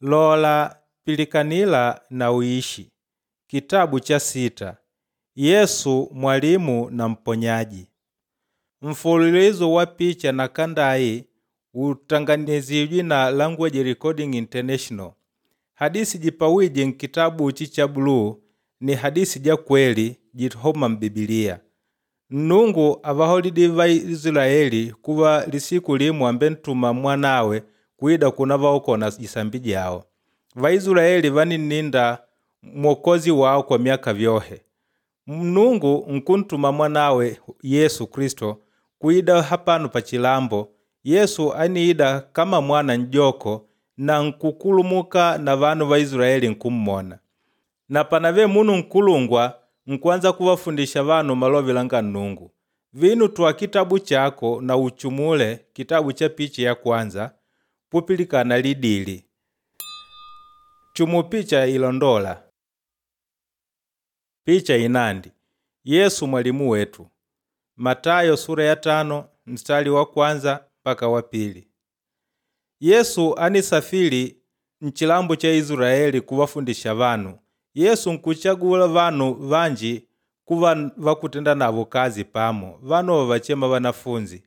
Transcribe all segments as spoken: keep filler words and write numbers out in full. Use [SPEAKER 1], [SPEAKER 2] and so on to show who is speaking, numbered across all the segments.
[SPEAKER 1] Lola Pilikanila na Uishi. Kitabu cha sita. Yesu mwalimu na mponyaji. Mfululizo wa picha na kandai utanganizijwe na Language Recording International. Hadisi jipawije nkitabu ichi cha buluu ni hadisi ja kweli jihoma m'Bibiliya. Nnungu avaholidi Vaisilaeli kuva lisiku limu ambentuma mwanawe kwida kuna vaokola jisambi jawo. Vaisilaeli vaninninda mwokozi wao kwa myaka vyohe. Nnungu nkuntuma mwanawe Yesu Kristo kwida hapano pa chilambo. Yesu aniida kama mwana n'joko na nkukulumuka na vanu va Isilaeli nkummona. Na panave munu nkulungwa nkuanza kuvafundisha vanu malovi langa Nnungu. Vinu twa kitabu chako na uchumule kitabu cha picha ya kwanza pupilikana lidili. Chumu picha ilondola. Picha inandi Yesu mwalimu wetu. Matayo sura ya tano mstari wa kwanza mpaka wa pili. Yesu anisafili nchilambo cha Israeli kuwafundisha vanu. Yesu nkuchagula vanu vanji kuva vakutenda navo kazi pamo, vanu vavachema vanafunzi.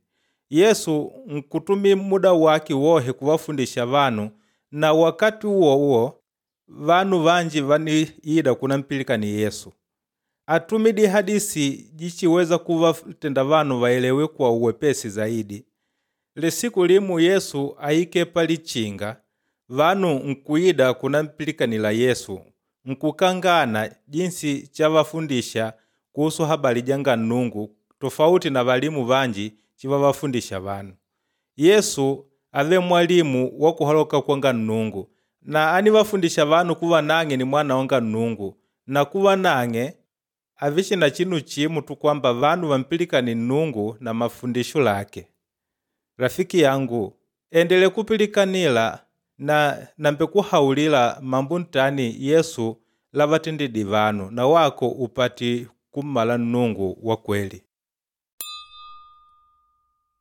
[SPEAKER 1] Yesu nkutumi muda wake wohe kuwafundisha vanu na wakati uwo uwo vanu vanji vaniida kunampilikani Yesu. Atumidi hadisi jichiweza kuvatenda vanu vaelewe kwa uwepesi zaidi. Lisiku limu Yesu aike palichinga vanu nkuida kunampilikanila Yesu nkukangana jinsi chavafundisha kuhusu habari janga Nnungu tofauti na valimu vanji chivavafundisha vanu. Yesu ave mwalimu wa kuhaloka kwanga Nnungu na anivafundisha vanu kuva nang'e ni mwana wanga Nnungu na kuva nang'e avichina chinu chimu tu kwamba vanu vampilikani Nnungu na mafundisho lake. Rafiki yangu, endele kupilikanila na nambekuhaulila mambo ntani Yesu lavatendidi vanu na wako upati kummala Nnungu wa kweli.